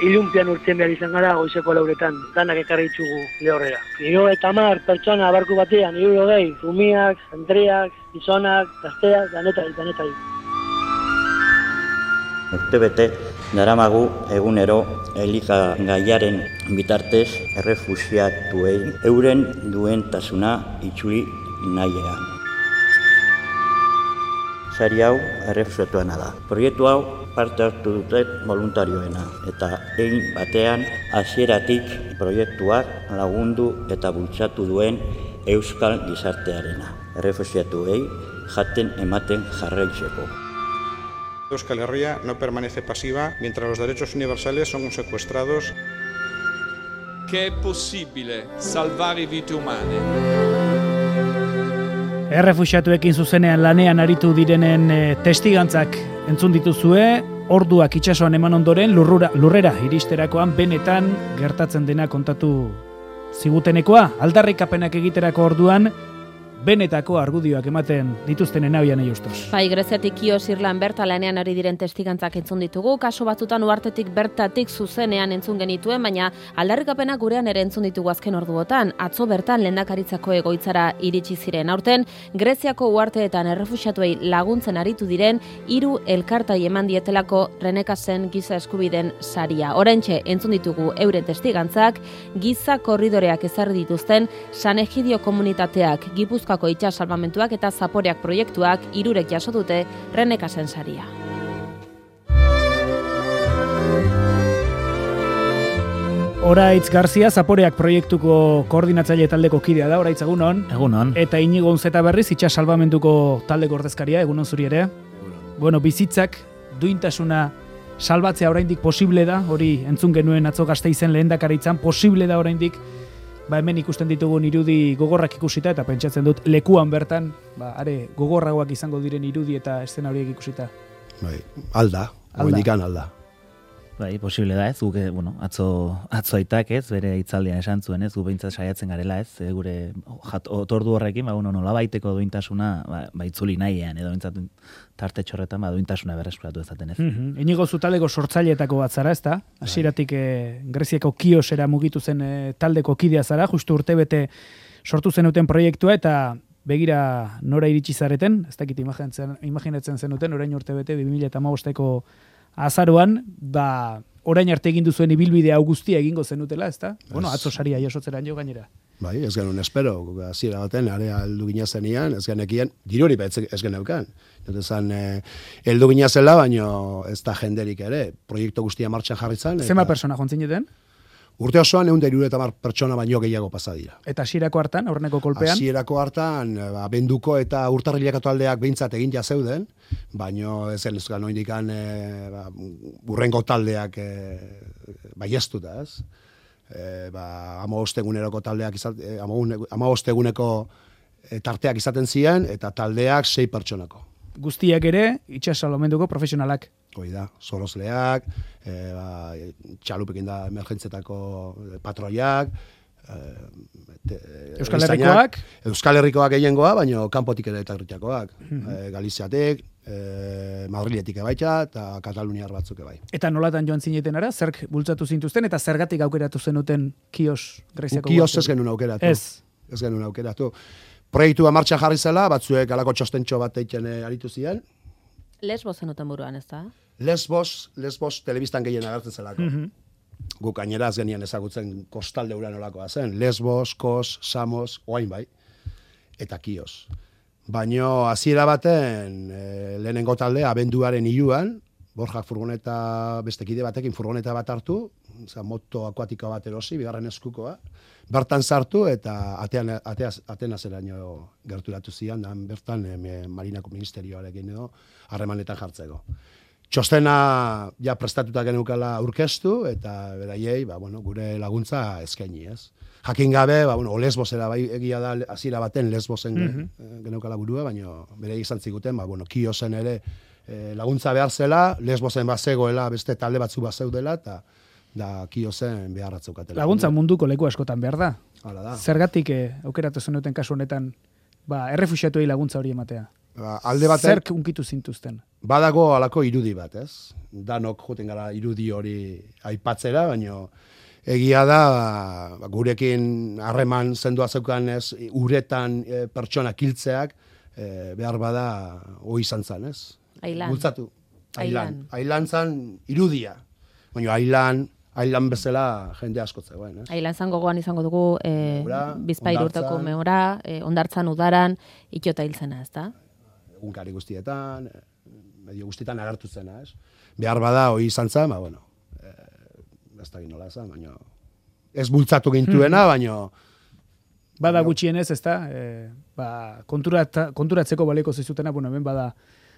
ilunpian urtzen behar izan gara goizeko 4:00, danak ekarri ditugu lehorrera. 50 pertsona barku batean, 60, umiak, andreak, gizonak, gazteak, danetai. Urtebete daramagu egunero elikagaiaren bitartez errefuxiatuei euren duentasuna itzuli nahiera. Sari hau errefuxiatuena da. Proiektu hau parte hartu dute voluntarioena eta egin batean hasieratik proiektuak lagundu eta bultzatu duen euskal gizartearena. Errefuxiatuei jaten ematen jarraitzeko. Euskal Herria no permanece pasiva mientras los derechos universales son secuestrados. Che è possibile salvare vite umane. Errefuxiatuekin zuzenean lanean aritu direnen testigantzak entzun dituzue, orduak itsasoan eman ondoren lurrera iristerakoan benetan gertatzen dena kontatu zigutenekoa, aldarrikapenak egiterako orduan benetako argudioak ematen dituztenen abian eiustos. Bai, Greziatik Kios Irlan berta lanean ari diren testigantzak entzun ditugu, kaso batzutan uhartetik bertatik zuzenean entzun genituen, baina aldarrikapenak gurean ere entzun ditugu azken orduotan. Atzo bertan lehendakaritzako egoitzara iritsi ziren. Aurten Greziako uharteetan errefuxiatuei laguntzen aritu diren 3 elkartai eman dietelako Renekasen giza eskubiden saria. Oraintxe entzun ditugu euren testigantzak, giza korridoreak ezarri dituzten San Egidio komunitateak, Gipuzkoako itsas salbamentuak eta zaporeak proiektuak 3 jaso dute Renekasen saria. Oraitz Garzia, zaporeak proiektuko koordinatzaile taldeko kidea da, oraitz egunon. Egunon. Eta Inigo Unzeta berriz, itsas salbamentuko taldeko ordezkaria, egunon zuri ere. Bueno, bizitzak, duintasuna salbatzea oraindik posible da, hori entzun genuen atzo Gasteizen lehendakaritzan, posible da oraindik. Hemen ikusten ditugun irudi gogorrak ikusita eta pentsatzen dut lekuan bertan, are gogorragoak izango diren irudi eta eszena horiek ikusita. Bai, alda. Bai, posible da ez, guk, atzo aitak ez, bere hitzaldian esan zuen ez, gu behintzat saiatzen garela ez, gure otordu horrekin, nolabaiteko duintasuna, itzuli nahian, edo behintzat tarte txorretan, duintasuna berreskuratu ezaten ez. Inigo zu taldeko sortzaileetako bat zara, ez da? Hasieratik Greziako Kiosera mugitu zen taldeko kidea zara, justu urtebete sortu zenuten proiektua, eta begira nora iritsi zareten, ez dakit imaginatzen zenuten, orain urtebete 2015ko azaroan, orain arte egin duzuen ibilbide hau guztia egingo zenutela, ezta? Atzo saria jasotzeran jo gainera. Bai, ez genuen espero, hasiera baten, area heldu gina zenian, ez genekien, diruri ez geneukan. Zan, heldu gina zela, baino ez da jenderik ere, proiektu guztia martxan jarri zan. Zema persona jontzineten? Urte osoan 170 pertsona baino gehiago pasa dira. Eta hasierako hartan, aurreneko kolpean? Hasierako hartan, abenduko eta urtarrileko taldeak behintzat egin ja zeuden, baino ez genezkan oindikan urrengo taldeak baiestuta, ez? 15 eguneroko taldeak 15 eguneko tarteak izaten ziren eta taldeak 6 pertsonako. Guztiak ere itsas salbamentuko profesionalak. Hoi da, solosleak, txalupekin da emergentzietako patroiak, Euskal Herrikoak? Euskal Herrikoak gehiengoa, baina kanpotik ere eta gritiakoak. Galiziatik, Madriletik ebaita eta Kataluniar batzuk ebai. Eta nolatan joan zineten ara, zerk bultzatu zintuzten eta zergatik aukeratu zenuten Kios Greziako? Kios ez genuen aukeratu. Ez genuen aukeratu. Proiektua martxan jarri zela, batzuek alako txostentxo bat eitzen aritu ziren. Lesbos zenuten buruan, ez da? Lesbos telebistan gehien agertzen zelako. Guk gainera ez genian ezagutzen kostalde ura nolakoa zen. Lesbos, Kos, Samos, oain bai, eta Kios. Baino hasiera baten lehenengo taldea abenduaren 3an, Borjak furgoneta, beste kide batekin furgoneta bat hartu, moto akuatiko bat erosi, bigarren eskukoa, bertan sartu eta Atenaseraino gerturatu zian, bertan Marinako Ministerioarekin edo harremanetan jartzeko. Txostena ja prestatuta geneukala aurkeztu eta beraiei, gure laguntza eskaini, ez? Jakin gabe, Lesbosera bai egia da hasiera baten Lesbosen geneukala burua, baina beraiek izan ziguten, Kiosen ere laguntza behar zela, Lesbosen bazegoela, beste talde batzu bazeudela eta da Kiosen beharratzukatela. Laguntza munduko leku askotan behar da. Hala da. Zergatik aukeratu zenuten kasu honetan, errefuxiatuei laguntza hori ematea? alde baten... Zerk unkitu zintuzten? Badago alako irudi bat, ez? Danok joten gara irudi hori aipatzera, baina egia da, gurekin harreman zendua zeukan ez, uretan pertsona kiltzeak, behar bada hoi izan zan, ez? Ailan. Bultzatu. Ailan zan irudia. Baina ailan bezala jende asko zegoen, ez? Ailan zan gogoan izango dugu Bizpahiru urteko Hondartzan. mehora, Hondartzan udaran, itxota hiltzena, ez da? Egunkari guztietan, medio guztietan agertu zena, ez? Behar bada hoi izan zan, bueno, ez da ginola zan, baina ez bultzatu gintuena, baina... Bada gutxienez, ez da, konturatzeko baleko zizutena, bueno, hemen bada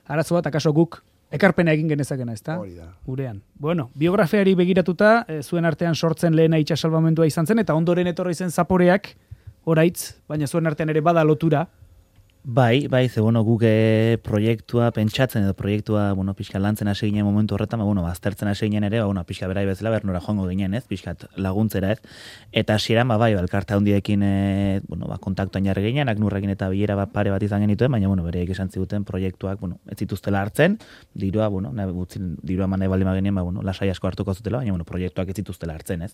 arazo bat, akaso guk ekarpena egin genezakena, ez da? Hori da. Gurean. Bueno, biografiari begiratuta, zuen artean sortzen lehena itxasalbamendua izan zen, eta ondoren etorri zen zaporeak, oraitz, baina zuen artean ere bada lotura. Bai, ze bueno, guk proiektua pentsatzen edo proiektua, bueno, pixka lantzen hasi ginen momentu horretan, bueno, aztertzen hasi ginen ere, bueno, pixka berai bezala bernora joango ginen, ez, pixkat laguntzera, ez. Eta hasieran bai, elkarte handiekin bueno, kontaktuan jarri ginen, Aknurrekin eta bilera pare bat izan genituen, baina bueno, bereik esan ziguten proiektuak, bueno, ez zituztela hartzen, dirua, bueno, dirua eman nahi baldin bagenien, bueno, lasai asko hartuko zutela, baina bueno, proiektuak ez zituztela hartzen, ez.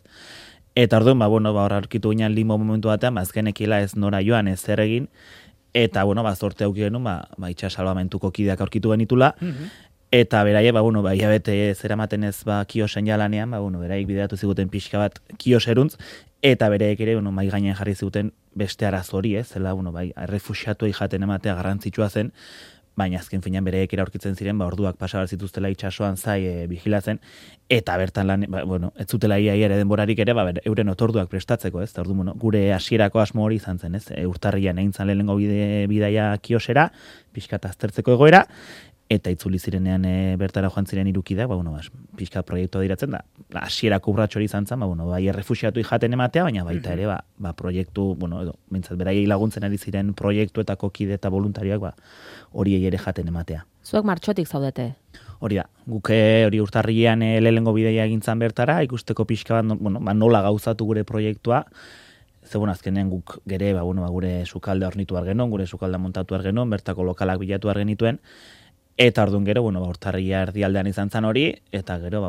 Eta orduan, bueno, hor aurkitu ginen limbo momentu batean, azkenekila ez nora joan, ez zer egin. Eta, bueno, zorte auki genuen, itxasalbamentuko kideak aurkitu genitula, eta beraie, bueno, hilabete zeramaten ez kiosen jalanean, bueno, beraik bideratu ziguten pixka bat kioseruntz, eta beraik ere, bueno, mai gainen jarri ziguten beste arazo hori, ez, zela, bueno, errefuxiatuei jaten ematea garrantzitsua zen, baina azken finean bereek aurkitzen ziren, orduak pasabar zituztela itsasoan zai bigilatzen, eta bertan lan, bueno, ez zutela ia ere denborarik ere, euren otorduak prestatzeko, ez? Ordu, bueno, gure hasierako asmo hori izan zen, ez? Urtarrian egin zan lehenengo bidaia kiosera, pixkat aztertzeko egoera, eta itzuli zirenean bertara joan ziren irukidak, bueno, pixka proiektua diratzen da. Hasierako urratxo hori izan zen, bai errefuxiatu jaten ematea, baina baita ere, proiektu, bueno, edo, mintzat beraiei laguntzen ari ziren proiektuetako kide eta voluntarioak, horiei ere jaten ematea. Zuek martxotik zaudete? Hori da, guke hori urtarrian lehenengo bideia egintzan bertara, ikusteko pixka bat, bueno, nola gauzatu gure proiektua, zegoen azkenean guk gere, gure sukalde hornitu argenon, gure sukalda montatu argenon, bertako lokalak bilatu argenituen, eta orduan gero, urtarria erdialdean izan zan hori, eta gero,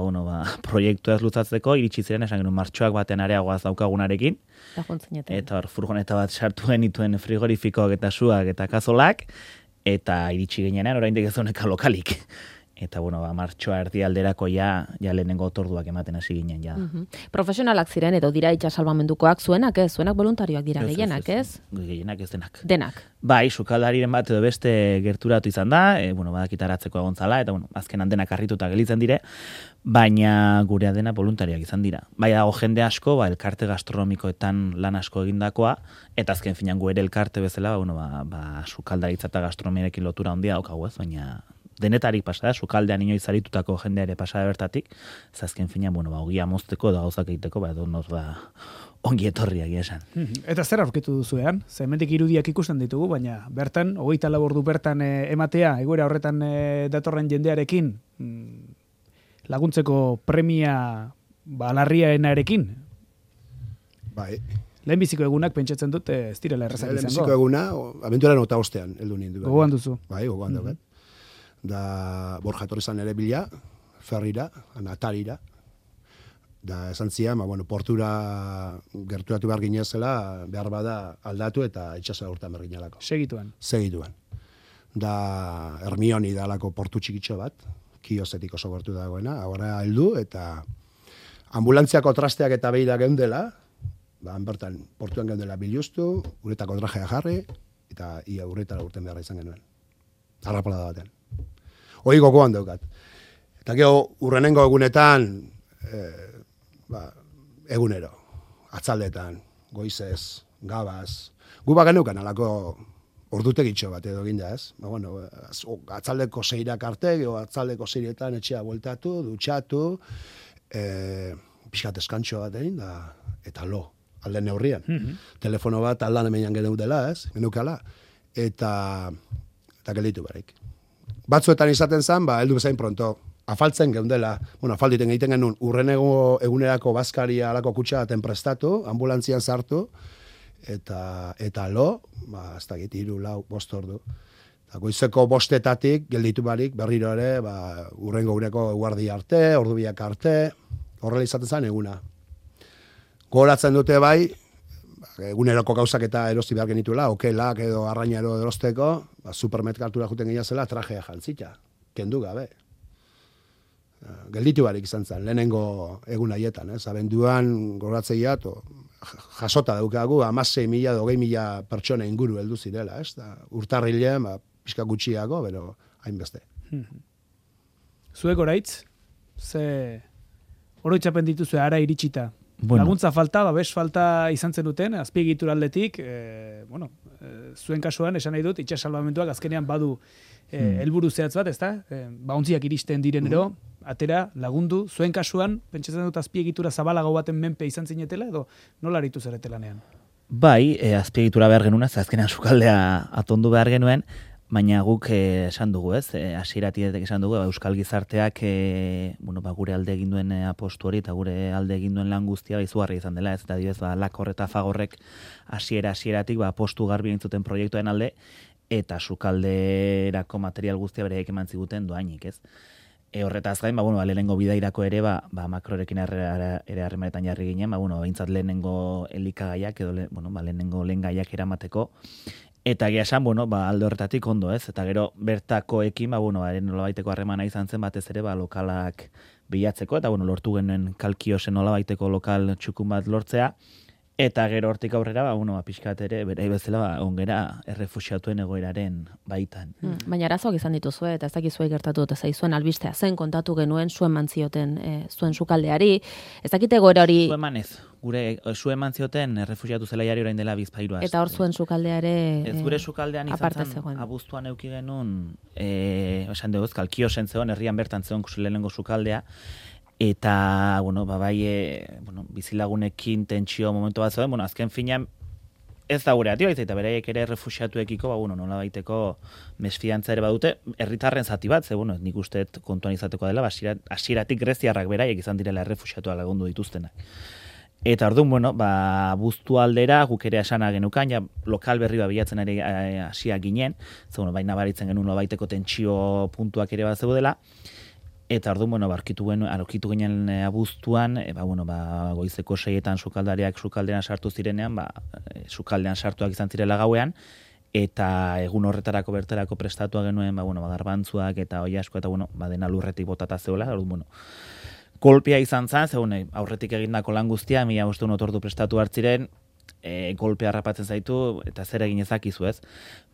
proiektua ez luzatzeko, iritsi ziren esan genuen martxoak batean areagoaz daukagunarekin, eta hor furgoneta bat sartu genituen frigorifikoak eta suak eta kazolak, eta iritsi ginean oraindik ez honeka lokalik. Eta, martxoa erdialderako ja lehenengo otorduak ematen hasi ginen, ja. Profesionalak ziren, edo dira itxasalbamendukoak, zuenak ez? Zuenak voluntarioak dira, gehienak, ez? Gehienak ez denak. Denak. Bai, sukaldariren bat edo beste gerturatu izan da, badakitaratzeko egontzala, eta, azkenan denak harrituta gelitzen dire, baina gurea dena voluntarioak izan dira. Bai, dago jende asko, elkarte gastronomikoetan lan asko egindakoa, eta azken finan gu ere elkarte bezala, sukaldaritza eta gastronomiarekin lotura handia daukagu ez, baina denetarik pasada, sukaldean inoiz aritutako jendea ere pasada bertatik, zazken finean, ogia mozteko edo gauzak egiteko, ongi etorriak esan. Eta zer aurkitu duzuean? Ze hemendik irudiak ikusten ditugu, baina bertan, 24 ordu bertan ematea, egoera horretan datorren jendearekin, laguntzeko premia larriaenarekin? Bai. Lehenbiziko egunak pentsatzen dut, ez direla errezak izango. Lehenbiziko eguna, abenturan ota ostean, heldu nindu. Gogoan duzu. Bai, gogoan dugu. Da Borja etorri ere bila, ferrira, atarira, da esan zian, portura gerturatu behar ginezela, behar bada aldatu eta itxasa urtean behar ginelako. Segituan. Da Hermioni da alako portu txikitxo bat, kiosetik oso gertu dagoena, agora heldu eta ambulantziako trasteak eta behira geundela, bertan portuan geundela biluztu, uretako trajea jarri, eta ia urretara urten beharra izan genuen. Arrapalada batean. Hoi gogoan daukat. Eta gero, urrenengo egunetan, egunero, atzaldetan, goizez, gabaz, gu bagenukan alako ordutegitxo bat edo ginda ez. Atzaldeko seirak arte, gero atzaldeko seirietan etxea bueltatu, dutxatu, pixkat eskantxo bat egin, eta lo, alde neurrian. Telefono bat aldan emenean geneutela ez, genukala, eta gelditu barik. Batzuetan izaten zen, heldu bezain pronto, afaltzen geundela, afalditen egiten genuen, urrenego egunerako bazkaria alako kutsa baten prestatu, ambulantzian sartu, eta lo, ez dakit, 3, 4, 5 ordu. Goizeko 5 gelditu barik, berriro ere, urrengo ureko guardi arte, ordubiak arte, horrela izaten zen eguna. Goratzen dute bai, eguneroko gauzak eta erosti behar genituela, okelak edo arrainaro erosteko, supermerkatura juten gina zela, trajea jantzita, kendu gabe. Gelditu barik izan zen, lehenengo egun haietan, abenduan goratzea, jasota daukagu, 16.000 edo 20.000 pertsona inguru heldu zirela, urtarrilean, pixka gutxiago, bero hainbeste. Zuek oraitz, ze oroitzapen dituzue ara iritsita? Bueno. Laguntza falta, babes falta izan zen duten, azpiegitura aldetik, zuen kasuan, esan nahi dut, itxas salvamentuak azkenean badu helburu zehatz bat, ezta? Ontziak iristen direnero, atera, lagundu, zuen kasuan, pentsatzen dut azpiegitura zabalago baten menpe izan zinetela, edo nola aritu zarete lanean? Bai, azpiegitura behar genuen, azkenean sukaldea atondu behar genuen, baina guk esan dugu, hasieratik esan dugu, Euskal Gizarteak gure alde egin duen apostu hori eta gure alde egin duen lan guztia izugarria izan dela, eta adibidez Lakor eta Fagorrek hasieratik apostu garbi egin zuten proiektuaren alde, eta sukalderako material guztia bereik eman ziguten doainik, ez? Horretaz gain, lehenengo bidairako ere, makrorekin ere harremanetan jarri ginen, behintzat lehenengo elikagaiak edo lehenengo lehen gaiak eramateko, eta egia esan, alde horretatik ondo, ez? Eta gero bertakoekin, nolabaiteko harremana izan zen batez ere, lokalak bilatzeko, eta lortu genuen Kalkiosen nolabaiteko lokal txukun bat lortzea, eta gero hortik aurrera, pixkat ere, bere bezala, ongera errefuxiatuen egoeraren baitan. Baina arazoak izan dituzue, eta ez dakizuei gertatu eta zaizuen albistea zen kontatu genuen zuen mantzioten zuen sukaldeari. Ez dakite egoera hori... Zuen manez, zuen mantzioten errefuxiatu zelaiari orain dela Bizpahiru aste. Eta hor zuen sukaldeare... Ez gure sukaldean izan zen, abuztuan euki genuen, esan dugu, Kalkiosen zegoen, herrian bertan zegoen lehenengo sukaldea, eta, bizilagunekin tentsio momentu bat zeuden, azken finean ez da gure atio, eta beraiek ere refuxiatuekiko, nola baiteko mesfidantza ere badute, herritarren zati bat, nik uste kontuan izateko dela, hasieratik greziarrak beraiek izan direla refuxiatuak lagundu dituztenak. Eta orduan, buztu aldera, guk ere esana genukan, ja, lokal berri bilatzen ere hasia ginen, baina baritzen genuen nola baiteko tentsio puntuak ere bat zeudela, eta orduan, aurkitu ginen abuztuan, goizeko 6etan sukaldariak sukaldean sartu zirenean, sukaldean sartuak izan zirela gauean, eta egun horretarako bertarako prestatua genuen, garbantzuak eta oiasko, eta dena lurretik botata zeola, orduan, golpea izan zen, aurretik egindako lan guztia, 1500 otordu prestatu hartziren, golpea harrapatzen zaitu, eta zer egin ezakizu ez.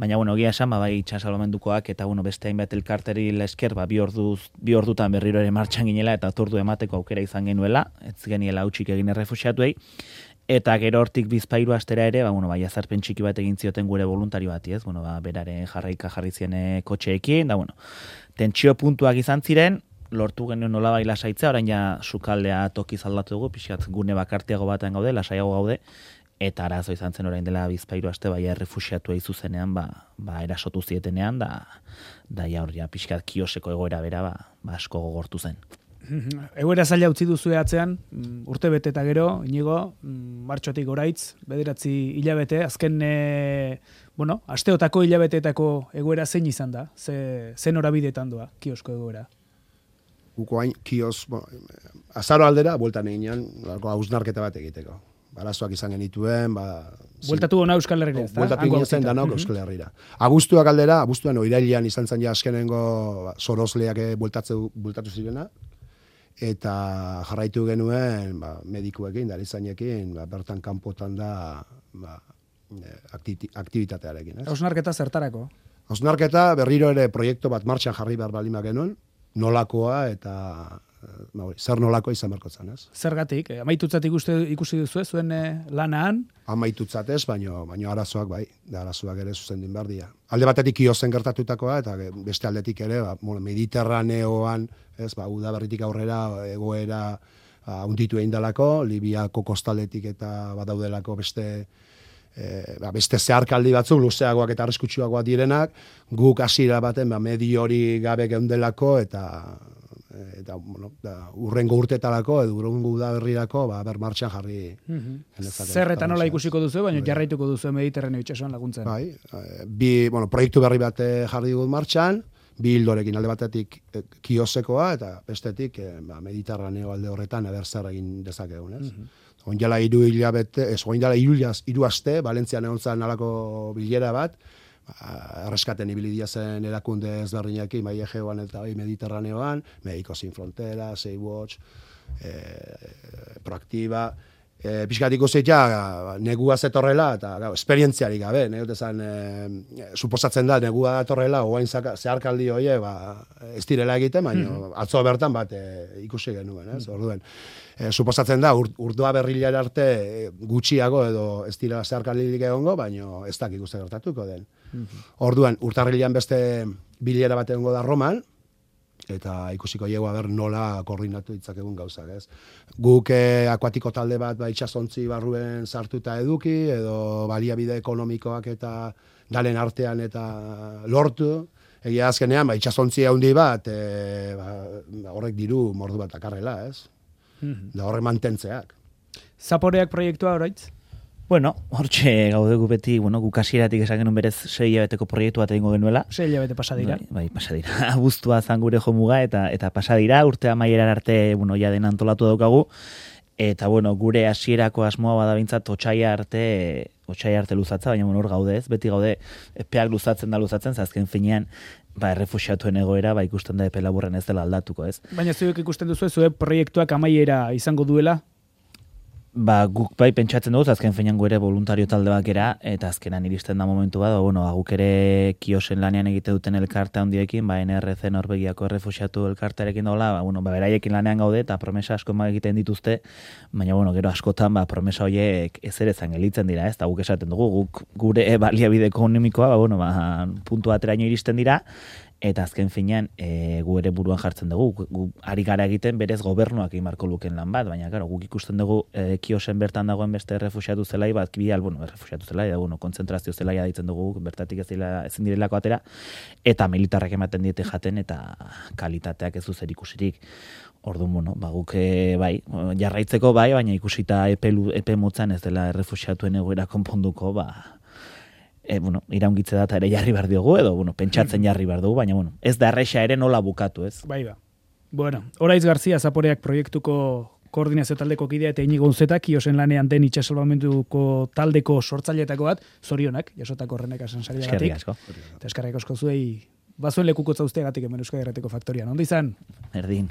Baina, egia esan, bai itxas salvamentukoak, eta beste hainbat elkarteri lesker, bi ordutan berriro ere martxan ginela, eta otordu emateko aukera izan genuela, ez geniela hautsik egin errefuxiatuei, eta gero hortik Bizpahiru astera ere, jazarpen txiki bat egin zioten gure voluntario bati, ez? Beraren jarraika jarri zien kotxeekin, tentsio puntuak izan ziren, lortu genuen nolabai lasaitzea, orain ja sukaldea tokiz aldatu dugu, pixkat gune bakartiago batean gaude, lasaiago gaude, eta arazo izan zen orain dela Bizpahiru aste, errefuxiatu egin zuzenean, erasotu zietenean, ja pixkat kioseko egoera bera, asko gogortu zen. Egoera zaila utzi duzu atzean, urte bete eta gero, Inigo, martxotik oraitz, 9 hilabete, azken, asteotako hilabeteetako egoera zein izan da? Zen horabideetan doa, kiosko egoera? Guko hain, azaro aldera, bueltan eginean, hausnarketa bat egiteko. Arazoak izan genituen, bueltatu gona Euskal Herrira, ez da? Bueltatu ginen zen danok Euskal Herrira. Abuztuan oirailean izan zen ja askenengo sorosleak bueltatu zirena, eta jarraitu genuen medikuekin, darizainekin, bertan kanpotan da aktibitatearekin. Hausnarketa zertarako? Hausnarketa berriro ere proiektu bat martxan jarri behar balima genuen, nolakoa eta zer nolako izan berko zen, ez? Zergatik? Amaitutzat ikusi duzu zuen lanaan? Amaitutzat ez, baino arazoak bai, arazoak ere zuzendin behar dira. Alde batetik Kiozen gertatutakoa, eta beste aldetik ere, Mediterraneoan, ez, udaberritik aurrera egoera hunditu egin dalako, Libiako kostaldetik eta badaudelako beste zeharkaldi batzuk, luzeagoak eta arriskutsuagoak direnak, guk hasiera baten medio hori gabe geundelako, eta eta bueno, urrengo urtetarako edo urrengo udaberrirako ber martxan jarri genezake. Zer eta nola ikusiko duzu, baina jarraituko duzu Mediterraneo itsasoan laguntzen. Bai, proiektu berri bat jarri dugu martxan, bi hildorekin alde batetik kiosekoa eta bestetik Mediterraneo alde horretan zer egin dezakegun, ez? Oindala 3 hilabete, oindala 3 aste, Valentzian egon zen alako bilera bat, erreskaten ibili zen erakunde ezberdinekin, bai Egeoan eta bai Mediterraneoan, Medicos Sin Fronteras, Sea-Watch, Proactiva, pixkat ikusi negua zetorrela, eta esperientziarik gabe, suposatzen da, negua datorrela, oain zeharkaldi horiek, ez direla egiten, baina atzo bertan bat ikusi genuen, ez? Orduen, suposatzen da, urdua berrilera arte gutxiago edo ez dira zeharkaldirik egongo, baina ez dakik uste gertatuko den. Orduan, urtarrilean beste bilera bat egongo da Roman, eta ikusiko llego nola koordinatu ditzakegun gauzak, ez? Guk akuatiko talde bat itsasontzi barruen sartuta eduki, edo baliabide ekonomikoak eta dalen artean eta lortu, egia azkenean, itsasontzi handi bat, horrek diru mordu bat akarrela, ez? Da horrek mantentzeak. Zaporeak proiektua oraitz? Bueno, hortxe gaude gu beti, guk hasieratik esan genuen berez 6 hilabeteko proiektu bat egingo genuela. 6 hilabete pasadira. Bai, pasadira. Abuztua zan gure jomuga eta pasadira, urte amaieran arte, ja den antolatu daukagu. Eta, gure hasierako asmoa bada bintzat otsaia arte luzatza, baina hor gaude ez, beti gaude epeak luzatzen, azken finean, errefuxiatuen egoera, ikusten da epe laburren ez dela aldatuko ez. Baina zuek ikusten duzu, zue proiektuak amaiera izango duela? Guk pentsatzen dugu, azken finean ere voluntario talde bakera, eta azkenan iristen da momentu bat, guk ere kiosen lanean egite duten elkarte handiekin, NRC Norvegiako errefuxiatu elkartearekin daula, beraiekin lanean gaude, eta promesa asko egiten dituzte, baina gero askotan promesa horiek ezerezan gelitzen dira, ez, eta guk esaten dugu, guk gure baliabide ekonomikoa, puntu bateraino iristen dira, eta azken finean gu ere buruan jartzen dugu, gu ari gara egiten berez gobernuak imarko luken lan bat, baina guk ikusten dugu kiosen bertan dagoen beste errefuxiatu zelai bat, errefuxiatu zelai, kontzentrazio zelaia ditzen dugu, bertatik ezin direlako atera, eta militarrak ematen diete jaten, eta kalitateak ez zer ikusirik. Orduan, guk jarraitzeko baina ikusita epe motzan ez dela errefuxiatuen egoera konponduko, iraungitze data ere jarri behar diogu, edo, pentsatzen jarri behar dugu, baina, ez da erresa ere nola bukatu, ez? Bueno, Oraiz Garzia Zaporeak proiektuko koordinazio taldeko kidea eta Inigo Unzeta, kiosen lanean den itxasalbamentuko taldeko sortzaileetako bat, zorionak, jasotako horrenek asansariagatik. Eta eskerrik asko zuei, bazuen lekukotza usteagatik hemen Euskal Herrateko Faktorian. Ondo izan? Erdin.